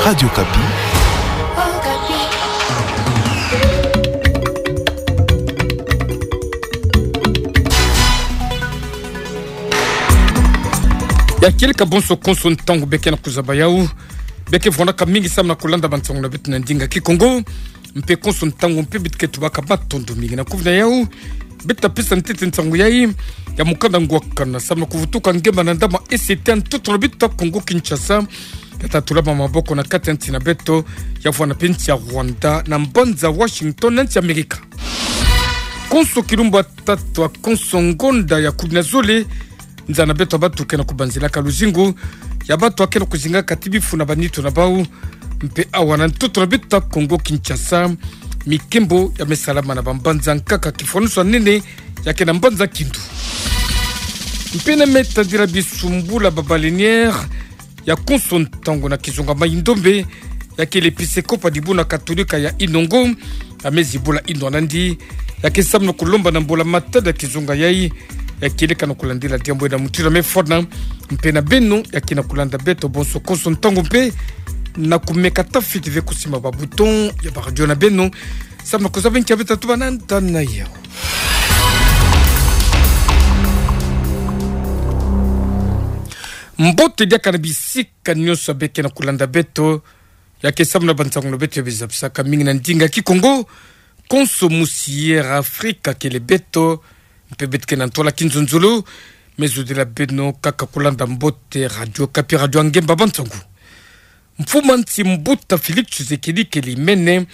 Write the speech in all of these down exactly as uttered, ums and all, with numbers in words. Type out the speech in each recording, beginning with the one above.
Radio Okapi. Ya kieleka bonso konso ntangu beke na kuzaba yawu. Beke vwanaka mingi samu na kulanda bansangu na beto na ndinga Kikongo. Mpe konso ntangu mpe beto ke tubaka matondo mingi. Na kuvina yawu, beto ta pesa ntete nsangu yayi ya mukanda Ngwakana samu na kuvutuka ngemba na ndama E C T ya ntoto na beto ya Kongo Kinshasa, ya ta tulama maboko na kati ya nsi na beto, ya vwana mpe nsi ya Rwanda, na mbanza Washington na nsi ya Amerika. Konso kilumbu tatu ya konso ngonda ya kumi na zole, nza na beto ya bato ke na kubanzilaka luzingu, ya bato ke na kuzingaka ti bifu na banitu na bawu, mpe awa na ntoto na beto ya Kongo Kinshasa, mikembo ya me salama na bambanza nkaka, kifwanusu ya nene ya ke na mbanza Kindu. Mpe na me tadila bisumbula ba baleinière ya konso ntangu na kizunga Mai-Ndombe, ya ke l'episekopo ya dibundu katolika ya Inongo, ya me zibula inwa nandi, ya ke samu na kulomba na mbula matadi ya kizunga yayi, ya kieleka na kulandila diambu na mutindu ya me fwana, mpe na beno ya ke na kulanda beto bonso konso ntangu mpe na kumeka tafiti ve kusimba ba bouton ya ba radio na beno, samu na kuzaba nki ya beto ta tuba na nda na yawu. Mbote diaka na bisika nyonso beke na kulanda beto, ya ke samu na bansangu na beto ya bizapisaka mingi na ndinga Kikongo, konso musi Air Afrika kele beto, mpe beto ke na ntwala kinzonzolo, me zodila beno kaka kulanda mbote Radio Okapi, radio ya ngemba bansangu. Mfumu a nsi mbuta Félix Tshisekedi kele mene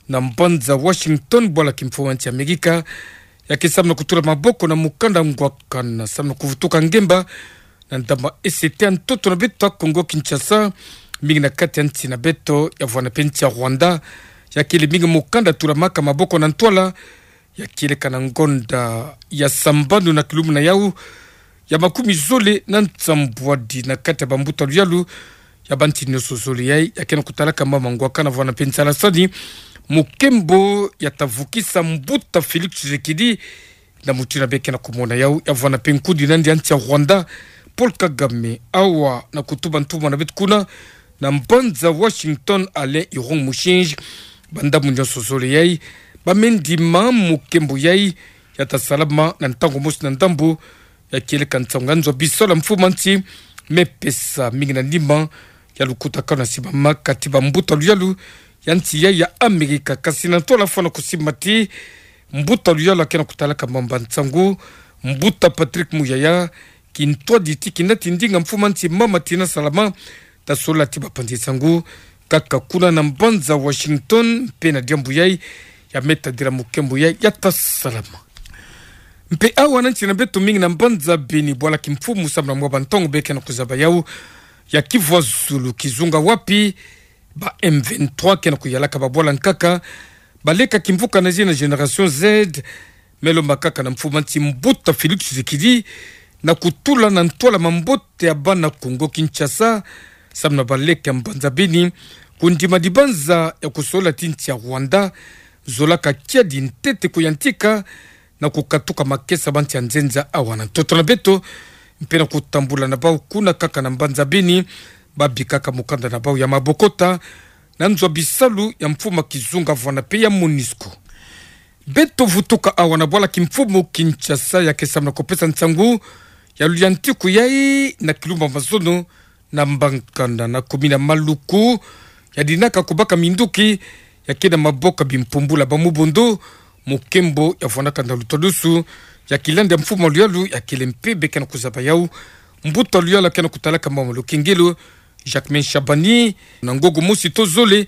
na mbanza Washington, bwala kimfumu a nsi Amerika, ya ke samu na kutula maboko na mukanda Ngwakana samu na kuvutuka ngemba na ndama E C T ya ntoto na beto ya Kongo Kinshasa, mingi na kati ya nsi na beto ya vwana mpe nsi ya Rwanda, ya kele mingi mukanda tulamaka maboko na ntwala, ya kieleka na ngonda ya sambanu na kilumbu na yawu ya makumi zole na nsambwadi na kati ya bambuta luyalu ya bansi nyonso zole yayi, ya ke na kutalaka mama Ngwakana vwana mpe nsalasani, mukembo ya ta vukisa mbuta Félix Tshisekedi, na mutindu beke na kumona yawu, ya vwana mpe nkudi nandi a nsi ya Rwanda, Paul Kagame, awa na kutuba ntumwa na beto kuna na mbanza Washington, Alain Irung Mushinji, bandambu nyonso zole yayi ba me ndima mukembo yayi, ya ta salama na ntangu mosi na ndambu, ya kieleka nsangu ya nzwa bisalu ya mfumu a nsi me pesa mingi na nima ya lukutakanu ya simbama kati bambuta luyalu ya nsi yayi ya Amerika. Kasi na ntwala fwana kusimba ti mbuta luyalu ya ke na kutalaka mamba nsangu, mbuta Patrick Muyaya, kintwadi ti kina ti ndinga mfumu a nsi mama Tina Salama ta solola ti bapanzi nsangu kaka kuna na mbanza Washington, mpe na diambu yayi ya me tadila mukembo yayi ya ta salama. Mpe awa na nsi na beto mingi na mbanza Beni, bwala kimfumu samu na mwa bantangu beke na kuzaba yawu, ya kivwa zulu kizunga wapi ba M vingt-trois ke na kuyalaka babwala nkaka, baleka kimvuka na zina Génération Z, me lomba kaka na mfumu a nsi mbuta Félix Tshisekedi na kutula na ntwala mambote ya bana Kongo Kinshasa, samu na baleke ya mbanza Beni, kundima dibanza ya kusolola ti nsi ya Rwanda zolaka kiadi ntete kuyantika na kukatuka makesa bansi ya nzenza awa na ntoto na beto, mpe na kutambula na bawu kuna kaka na mbanza Beni, babikaka mukanda na bawu ya mabokota na nzwa bisalu ya mfumu a kizunga vwana mpe ya MONUSCO. Beto vutuka awa na bwala kimfumu Kinshasa, ya ke samu na kupesa nsangu ya luyantiku yayi na kilumbu ya mazono na mbankanda na commune ya Maluku, ya dinaka kubaka minduki ya ke na maboko ya bimpumbulu ya ba Mobondo, mukembo ya vwanaka na lutadusu ya kilandi ya mfumu a luyalu ya kele mpe beke na kuzaba yawu, mbuta luyalu ya ke na kutalaka mama Lukengelo, Jacquemain Shabani, na ngogo mosi to zole,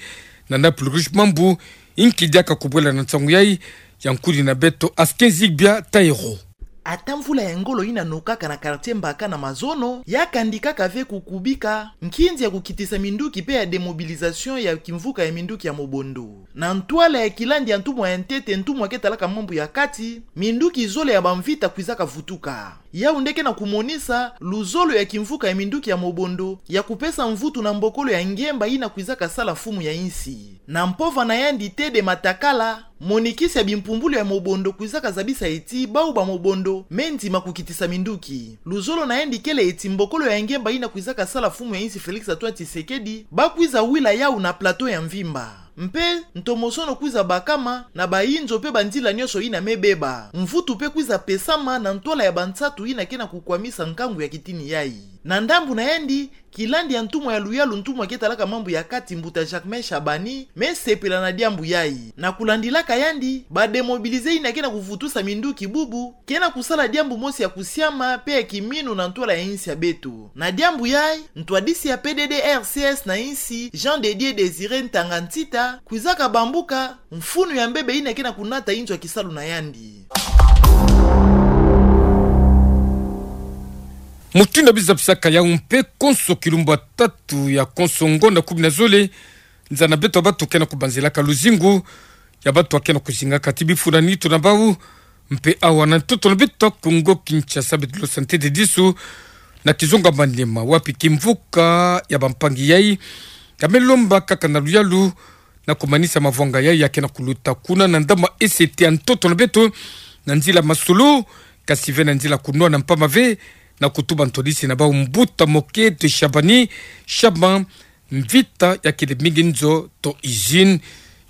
na Naples Rouge Mambu, inki diaka kubwela na nsangu yayi ya nkudi na beto Askin Zigbia Taïro. Ata mvula ya ngolo ina nokaka na quartier Mbaka na mazono, ya kandikaka ve kukubika nkinzi ya kukitisa minduki mpe ya démobilisation ya kimvuka ya minduki ya Mobondo. Na ntwala ya kilandi ya ntumwa ya ntete, ntumwa ke talaka mambu ya kati, minduki zole ya bamvita kwizaka vutuka. Yawu nde ke na kumonisa luzolo ya kimvuka ya minduki ya Mobondo ya kupesa mvutu na mbokolo ya ngemba ina kwizaka sala mfumu ya insi. Na mpova na yandi Thédée Matakala, Monikisi ya bimpumbulu ya mobondo kwizaka zabisa eti bau ba mobondo me ndima kukitisa minduki. Luzolo na yandi kele eti mbokolo ya ngemba yina kwizaka sala mfumu ya insi Félix Antoine Tshisekedi ba kwiza wila yau na plateau ya mvimba. Mpe ntomosono kwiza bakama na bayinzo mpe banzila nyonso yina me beba. Mvutu mpe kwiza pesama na ntwala ya bansatu yina ke na kukwamisa nkangu ya kitini yayi. Na ndambu na yandi, kilandi ya ntumwa ya luyalu, ntumwa ke talaka mambu ya kati, mbuta Jacquemain Shabani, me sepela na diambu yayi. Na kulandilaka yandi, ba démobilisés yina ke na kuvutusa minduki bubu ke na kusala diambu mosi ya kusiama mpe ya kiminu na ntwala ya insi ya beto. Na diambu yayi, ntwadisi ya P D D R C S na insi, Jean de Dieu Désiré Ntanga Ntita, kwizaka bambuka mfunu ya mbebe yina ke na kunata inzo ya kisalu na yandi. Mutindu ya bizabisaka yau mpe konso kilumbu ya tatu ya konso ngonda kumi na zole, nza na beto ya bato ke na kubanzilaka luzingu ya bato ya ke na kuzingaka ti bifu na nitu na bau, mpe awa na ntoto na beto ya Kongo Kinshasa, beto lo santé de disu na kizunga Maniema, wapi kimvuka ya bampangi yayi ya me lomba kaka na luyalu na kumanisa mavwanga yayi ya ke na kuluta kuna na ndama S T ya ntoto na beto, na nzila masolo, kasi ve na nzila kunwa na mpamba ve, na kutuba ntwadisi na bau mbuta Moke de Shabani Shaban, mvita ya kele mingi nzo to usine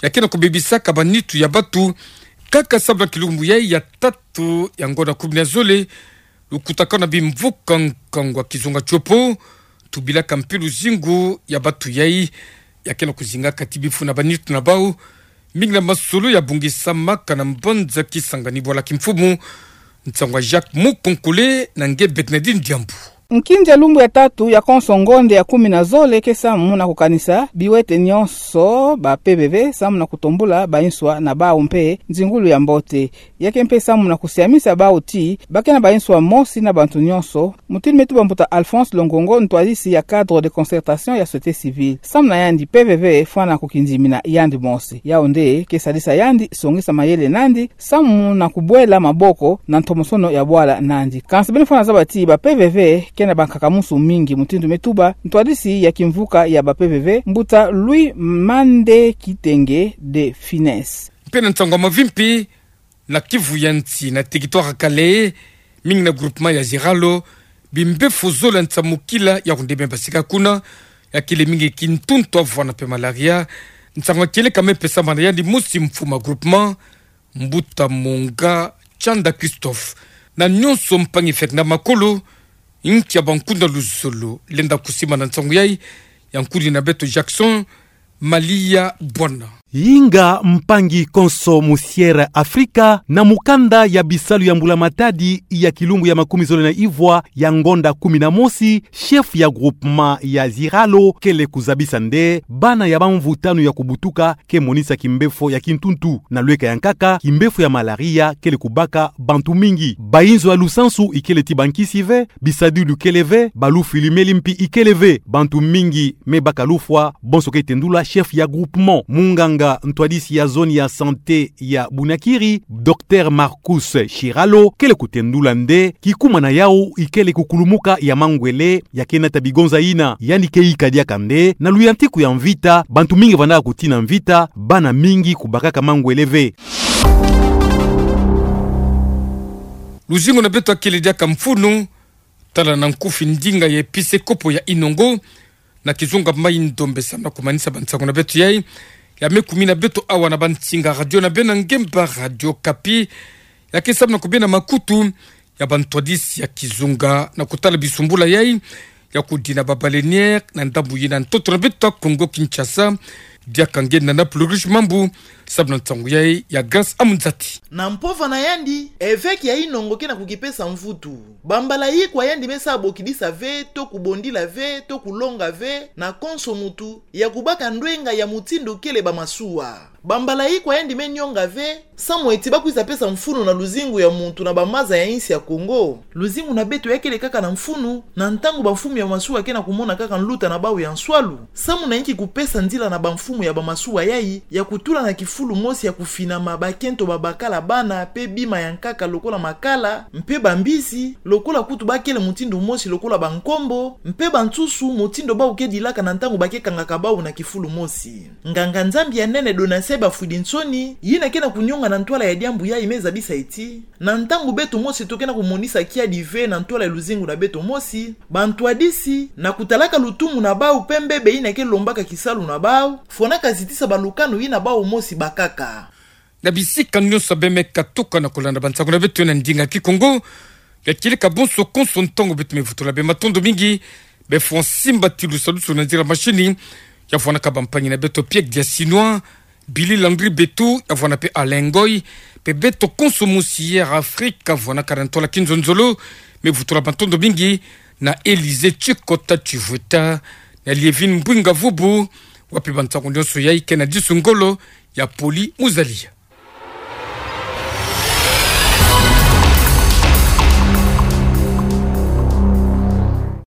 ya ke na kubebisaka banitu ya bato. Kaka sababu na kilumbu yayi ya tatu ya ngonda kumi na zole, lukutakanu na bimvuka nkangu ya kizunga Tshopo, tubilaka mpe luzingu ya bato yayi ya ke na kuzingaka ti bifu na banitu na bau, mingi na masolo ya bungisamaka na mbanza Kisangani bwala kimfumu. Nsangu ya Jacques Mukonkole na nge Bernardine Diambu. Nkinzi ya lumbu ya tatu ya konso ngonda ya kumi na zole ke samu na kukanisa biwete nyonso ba P V V samu na kutombula bainswa na bau mpe nzingulu ya mbote. Ya ke mpe samu na kusiamisa bau ti ba ke na bainswa mosi na bantu nyonso, mutindu me tuba mbuta Alphonse Longongo, ntwadisi ya cadre de concertation ya société civile. Samu na yandi, P V V fwana kukindimina yandi mosi. Yau nde ke sadisa yandi songisa mayele nandi samu na kubwela maboko na ntomosono ya bwala nandi. Kansi beno fwana zaba ti ba P V V ke na bankakamusu mingi, mutindu me tuba ntwadisi ya kimvuka ya ba P V V, mbuta Louis Mande Kitenge de Finesse. Mpe na nsangu ya mavimpi, na Kivu ya nsi, na territoire ya Kalehe, mingi na groupement ya Ziralo, bimbefo zola nsamukila ya kunde me basika kuna, ya kele mingi kintuntu, avwana mpe malaria. Nsangu ya kieleka me pesama na yandi mosi mfumu ya groupement, mbuta Monga Tshanda Christophe, na nyonso mpangi fek na makolo. Nkia bankunda luzolo lenda kusimba na nsangu yayi? Yankudi na beto Jackson Malia Bwana. Inga mpangi konso mu Sierra Africa, na mukanda ya bisalu ya mbula matadi ya kilumbu ya makumi zole na ivwa ya ngonda kumi na mosi, chef ya groupement ya Ziralo kele kuzabisa nde bana ya bamvu tanu ya kubutuka ke monisa kimbefo ya kintuntu. Na lweka ya nkaka, kimbefo ya malaria kele kubaka bantu mingi. Bainzo ya lusansu ikele ti bankisi ve, bisadilu kele ve, balufwili meli mpi ikele ve. Bantu mingi me baka lufwa, bonso ke tendula chef ya groupement. Munganga ntwadisi ya zone ya santé ya Bunakiri, Docteur Marcus Shiralo, kele kutendula nde kikumana yau ikele kukulumuka ya mangwele ya ke nata bigonza yina. Yandi ke yika diaka nde na luyantiku ya mvita, bantu mingi vandaka kutina mvita, bana mingi kubakaka mangwele ve. Luzingu na beto ya kele diaka mfunu, tala na nkufi ndinga ya episekopo ya Inongo, na kizunga Maï-Ndombe, samu na kumanisa bansangu na beto yayi ya me kumina beto awa na bansinga radio na beno ya ngemba Radio Okapi, ya ke samu na kubena makutu ya bantwadisi ya kizunga na kutala bisumbula yayi ya kudina ba baleinière na ndambu yina ntoto na beto ya Kongo Kinshasa. Diaka nge Nana Plurish Mambu, samu na nsangu yayi ya Grâce Amunzati. Na mpova na yandi, evêque ya Inongo ke na kukipesa mvutu. Bambala ikwa yandi me sa bokidisa ve, to kubondila ve, to kulonga ve na konso mutu ya kubaka ndwenga ya mutindu kele ba masuwa. Bambala ikwa yandi me nyonga ve, samu eti ba kwiza pesa mfunu na luzingu ya muntu na bamaza ya insi ya Kongo. Luzingu na beto ya kele kaka na mfunu, na ntangu bamfumu ya masuwa ke na kumona kaka nluta na bau ya nswalu, samu na inki kupesa nzila na bamfumu ya bamasuwa yai, ya kutula na kifulu mosi ya kufinama bakento babakala bana pe bima ya nkaka lokola makala, mpe bambisi, lokola kutu bakele mutindu mosi lokola bankombo, mpe bansusu, mutindu bau ke dilaka na ntangu ba ke kangaka bau na kifulu mosi. Nganga-Nzambi ya nene Donatien Bafudinsoni, yina ke na kunionga na ntwala ya diambu yai me zabisa ti, na ntangu beto mosi to ke na kumonisa kiadi ve na ntwala ya luzingu na beto mosi, bantwadisi, na kutalaka lutumu na bau pe mbebe yina ke lombaka kisalu na bau, fwanaka zitisa balukanu yina bau mosi bakaka. Na bisika nyonso beno me katuka na kulanda bansangu na beto na ndinga Kikongo, ya kileka bonso konso ntangu beto me vutula beno matondo mingi, beno fwa simba ti lusalusu na nzila mashini, ya fwanaka bampangi na beto Pierre Diasinois, Billy Landry Betu, ya fwana pe Alain Ngoy, pe beto konso mosi Air Afrique, ya fwanaka na ntwala kinzonzolo, me vutula matondo mingi, na Élysée Tshikota Tshivweta, na Liévine Mbwinga Vubu, wapi bansangu nyonso yai ke na disu ngolo, ya Poli Muzalia.